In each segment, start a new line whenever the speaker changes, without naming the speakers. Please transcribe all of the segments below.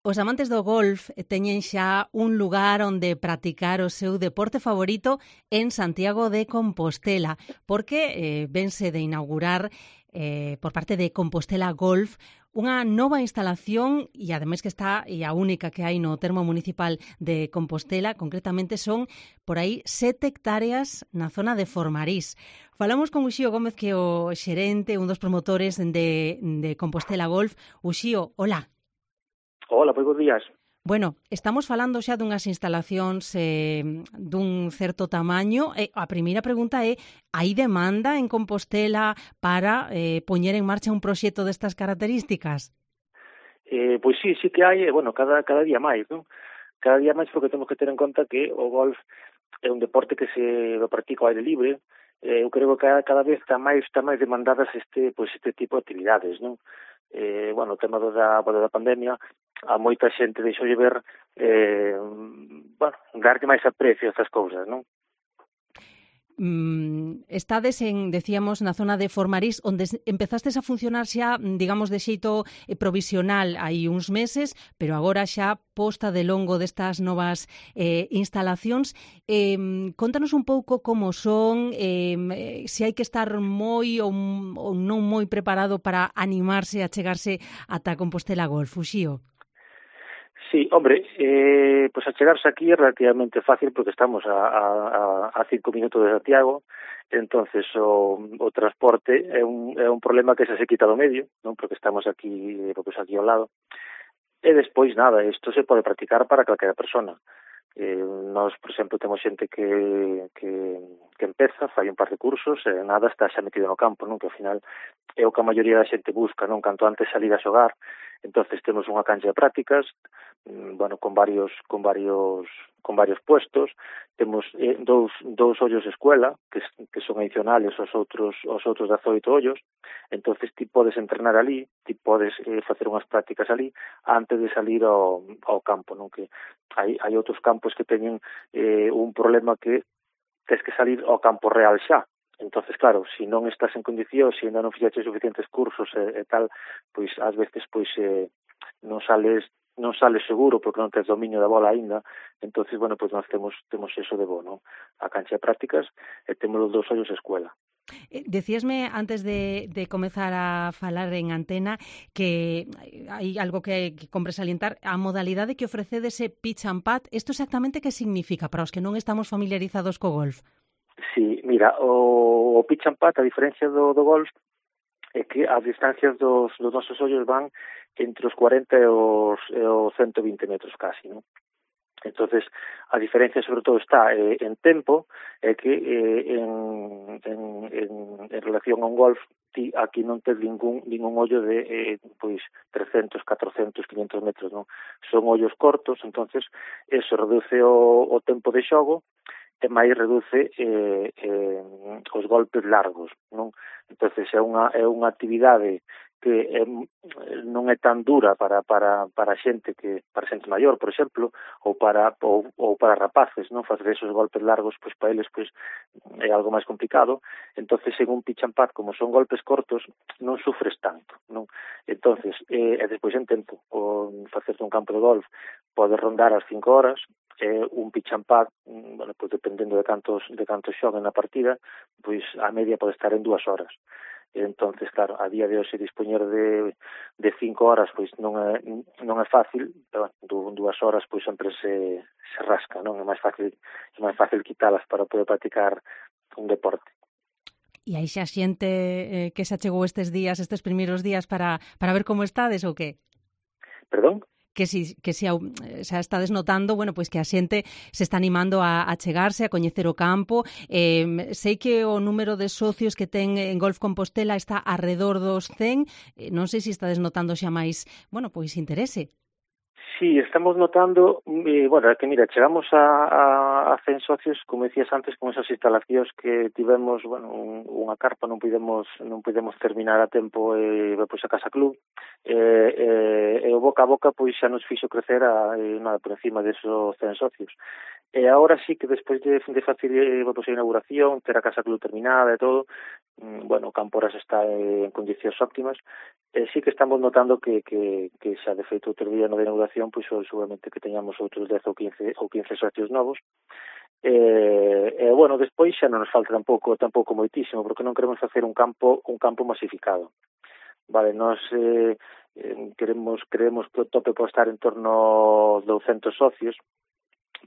Os amantes do golf teñen xa un lugar onde practicar o seu deporte favorito en Santiago de Compostela, porque vense de inaugurar por parte de Compostela Golf unha nova instalación e ademais que está e a única que hai no termo municipal de Compostela, concretamente son por aí 7 hectáreas na zona de Formarís. Falamos con Uxío Gómez, que é o xerente, un dos promotores de Compostela Golf. Uxío, hola.
Hola, moi bons días.
Bueno, estamos falando xa dunhas instalacións dun certo tamaño. A primeira pregunta é: hai demanda en Compostela para poñer en marcha un proxecto destas características?
Pois sí que hai, bueno, cada día máis, non? Cada día máis porque temos que ter en conta que o golf é un deporte que se practica ao aire libre. Eu creo que cada vez está máis demandadas este tipo de actividades, non? Bueno, o tema da pandemia, a moita xente deixou de ver, darlle máis aprecio a estas cousas, non?
Estades decíamos, na zona de Formarís, onde empezastes a funcionar xa, digamos, de xeito provisional hai uns meses, pero agora xa posta de longo destas novas instalacións. Contanos un pouco como son, se hai que estar moi ou non moi preparado para animarse a chegarse ata Compostela Golf, Uxío.
Sí, hombre, pues achegarse aquí é relativamente fácil porque estamos a 5 minutos de Santiago, entonces o transporte é un problema que se quita do medio, non? Porque estamos aquí ao lado. E despois, nada, isto se pode practicar para calquera persona. Nós, por exemplo, temos xente que empeza, fai un par de cursos e nada, está xa metido no campo, non? Que ao final é o que a maioría da xente busca, non? Canto antes salir a xogar. Entonces temos unha cancha de prácticas, bueno, con varios puestos. Temos dous ollos de escuela que son adicionales aos outros 18 ollos. Entonces ti podes entrenar ali, ti podes facer unhas prácticas ali antes de salir ao campo, non? Que hai outros campos que teñen un problema que tens que salir ao campo real xa. Entonces, claro, se non estás en condicións, se ainda non fixaches suficientes cursos e tal, pois ás veces non sales seguro porque non tens dominio da bola aínda. Entonces, bueno, pois nós temos eso de bo, non? A cancha de prácticas e temos os 2 ollos de escuela.
Decíasme antes de comezar a falar en antena que hai algo que compre salientar, a modalidade que ofrecede ese pitch and putt. Isto exactamente que significa para os que non estamos familiarizados co golf?
Sí, mira, o pitch and putt, a diferencia do golf, é que as distancias dos nosos ollos van entre os 40 e os 120 metros casi, non? Entonces, a diferencia sobre todo está en tempo, é que en relación a un golf, ti aquí non tes ningún ollo de 300, 400, 500 metros, non? Son ollos cortos, entonces eso reduce o tempo de xogo e máis reduce os golpes largos, non? Entonces é unha actividade que non é tan dura para xente maior, por exemplo, ou para rapaces, non? Facer esos golpes largos, pois para eles é algo máis complicado. Entonces, en un pitch and putt, como son golpes cortos, non sufres tanto, non? Entonces, e despois en tempo, facerte un campo de golf pode rondar as 5 horas, un pitch and putt, bueno, pois dependendo de cantos xoguen na partida, pois a media pode estar en 2 horas. Entonces, claro, a día de hoxe dispoñer de 5 horas pois non é fácil, pero bueno, 2 horas pois sempre se rasca, non? É máis fácil quitalas para poder practicar un deporte.
E aí xa xente que xa chegou estes primeiros días para ver como estades ou que?
Perdón?
Que xa estades notando, bueno, pois que a xente se está animando a chegarse, a coñecer o campo. Sei que o número de socios que ten en Golf Compostela está arredor dos 100. Non sei se estades notando xa máis, bueno, pois interese.
Sí, estamos notando, bueno, que mira, chegamos a 100 socios, como decías antes, con esas instalacións que tivemos, bueno, unha carpa, non podemos terminar a tempo pois a Casa Club, e o boca a boca pois xa nos fixo crecer nada por encima desos 100 socios. E agora sí que despois de facer pois, a inauguración, ter a Casa Club terminada e todo, bueno, o campo ahora está en condicións óptimas, sí que estamos notando que xa de feito outro día no de inauguración, pois seguramente que teñamos outros 10 ou 15 socios novos. Bueno, despois xa non nos falta tampouco moitísimo, porque non queremos facer un campo masificado. Vale, nós creemos que o tope pode estar en torno aos 200 socios,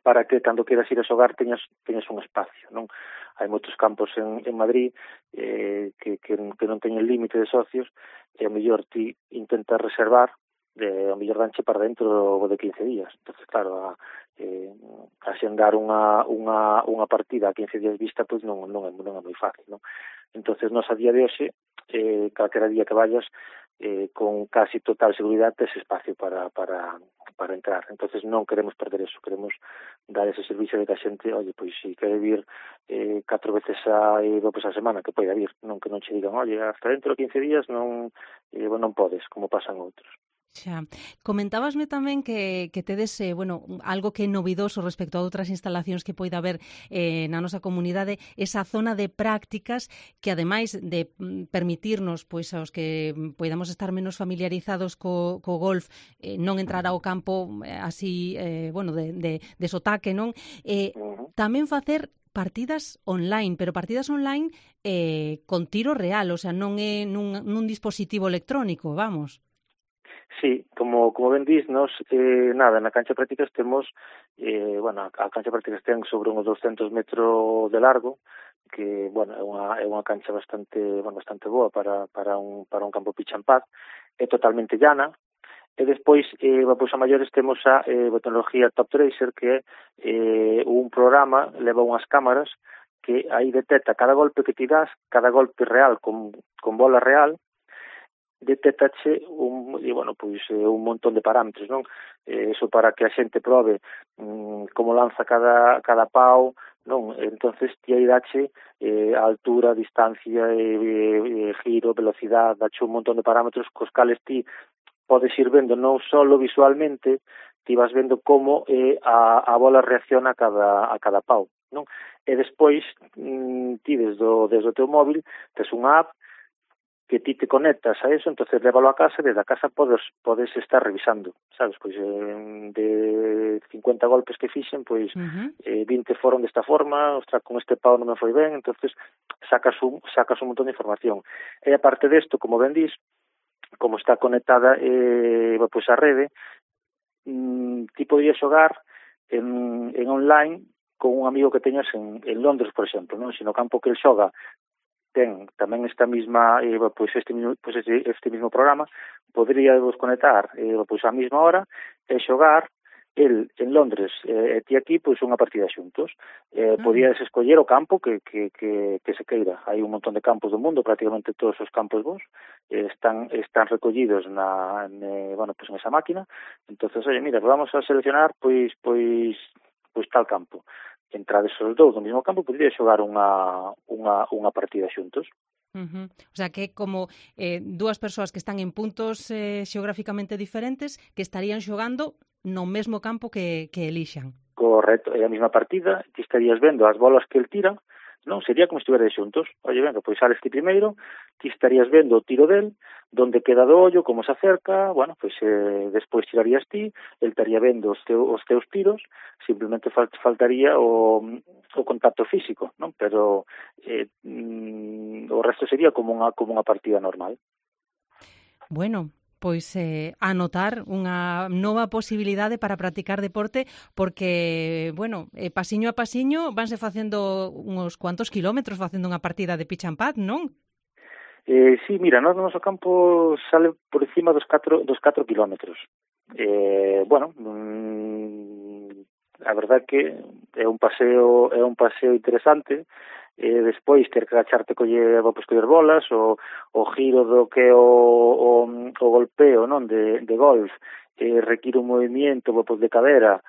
para que cando queras ir a xogar teñas un espacio, non? Hai moitos campos en Madrid que non teñen límite de socios e ao mellor ti intentas reservar ao mellor danche para dentro de 15 días. Entonces, claro, axendar unha partida a 15 días vista pois non é moi fácil, non? Entonces, nos a día de hoxe, calquera día que vayas, con casi total seguridade tes espacio para entrar. Entonces non queremos perder eso, queremos dar ese servicio de que a xente, oye, pois si quere vir 4 veces a semana, que poida vir, non que non che digan, oye, hasta dentro de 15 días non podes, como pasan outros.
Xa. Comentábasme tamén que tedes, algo que é novidoso respecto a outras instalacións que poida haber na nosa comunidade, esa zona de prácticas que, ademais de permitirnos, pois, aos que poidamos estar menos familiarizados co golf, non entrar ao campo así, de sotaque, non? Tamén facer partidas online, pero partidas online con tiro real, o sea, non é nun dispositivo electrónico, vamos.
Sí, como ben dis, nos, na cancha de prácticas temos, a cancha de prácticas ten sobre uns 200 metros de largo, que, é unha cancha bastante boa para un campo pitch and putt, é totalmente llana, e despois, a maiores temos a tecnología Top Tracer, que é un programa, leva unhas cámaras, que aí detecta cada golpe que ti das, cada golpe real con bola real, detéctache un montón de parámetros, non? Eso para que a xente probe como lanza cada pau, non? Entonces ti aí dache a altura, distancia, giro, velocidade, dache un montón de parámetros cos cales ti podes ir vendo non só visualmente, ti vas vendo como a bola reacciona a cada pau, non? E despois ti desde o teu móvil tes unha app que ti te conectas a eso, entonces lévalo a casa, desde a casa podes estar revisando, sabes, pois de 50 golpes que fixen, pois 20 foron desta forma, ostras, con este pau non me foi ben, entonces sacas un montón de información. E aparte desto, como ben dis, como está conectada a rede, ti podías xogar en online con un amigo que teñas en Londres, por exemplo, non? Se no campo que el xoga ten tamén esta mesma este mismo programa, poderíamos conectar a mesma hora e xogar el en Londres e ti aquí unha partida xuntos. Podías escoller o campo que se queira. Hai un montón de campos do mundo, prácticamente todos os campos vos están recollidos en esa máquina. Entonces, oye, mira, vamos a seleccionar pois tal campo. Entrades os dous no mesmo campo, podería xogar unha partida xuntos.
O sea, que é como dúas persoas que están en puntos xeográficamente diferentes que estarían xogando no mesmo campo que elixan.
Correcto, é a mesma partida, ti estarías vendo as bolas que el tira, non? Sería como se estiveres xuntos. Oye, venga, pois sales ti primeiro, ti estarías vendo o tiro del, donde queda do ollo, como se acerca, despois tirarías ti, el estaría vendo os teus tiros, simplemente faltaría o contacto físico, non? Pero o resto sería como unha partida normal.
Bueno, pois anotar unha nova posibilidade para practicar deporte porque, pasiño a pasiño vanse facendo uns cuantos kilómetros facendo unha partida de pitch and putt, non?
Sí, mira, no noso campo sale por encima dos 4 kilómetros. A verdade que é un paseo interesante. Despois ter que agacharte coller bolas, o giro do que o golpeo, non, de golf, require un movimiento de cadera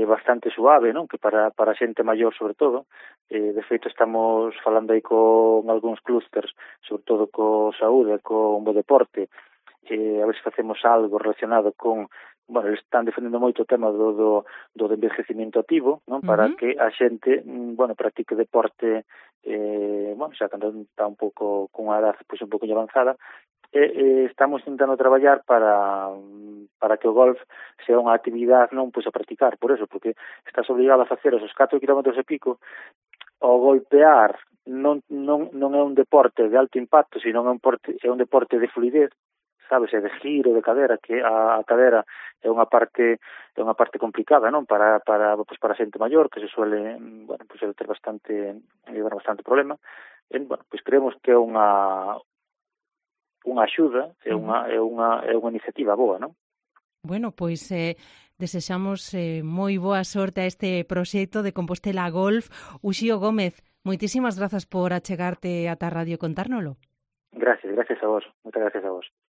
bastante suave, non, que para xente maior sobre todo. De feito estamos falando aí con algúns clústers, sobre todo co saúde, con o deporte, a ver se facemos algo relacionado con bueno, eles están defendendo moito o tema do envellecimiento activo, non? Para que a xente, bueno, practique deporte, bueno, xa cando está un pouco con unha edad pois un pouco avanzada, estamos intentando traballar para que o golf sea unha actividade non pois a practicar, por eso, porque estás obligado a facer esos 4 kilómetros e pico. O golpear non é un deporte de alto impacto, sino é un deporte de fluidez, sabes, de giro de cadera, que a cadera é unha parte complicada, non? Para a xente maior, que se suele, bueno, pues ter bastante problema. Bueno, pues creemos que é unha axuda, é unha iniciativa boa, non?
Bueno, pois desexamos moi boa sorte a este proxecto de Compostela Golf. Uxío Gómez, moitísimas grazas por achegarte ata a radio e contárnolo.
Gracias a vos, moitas gracias a vos.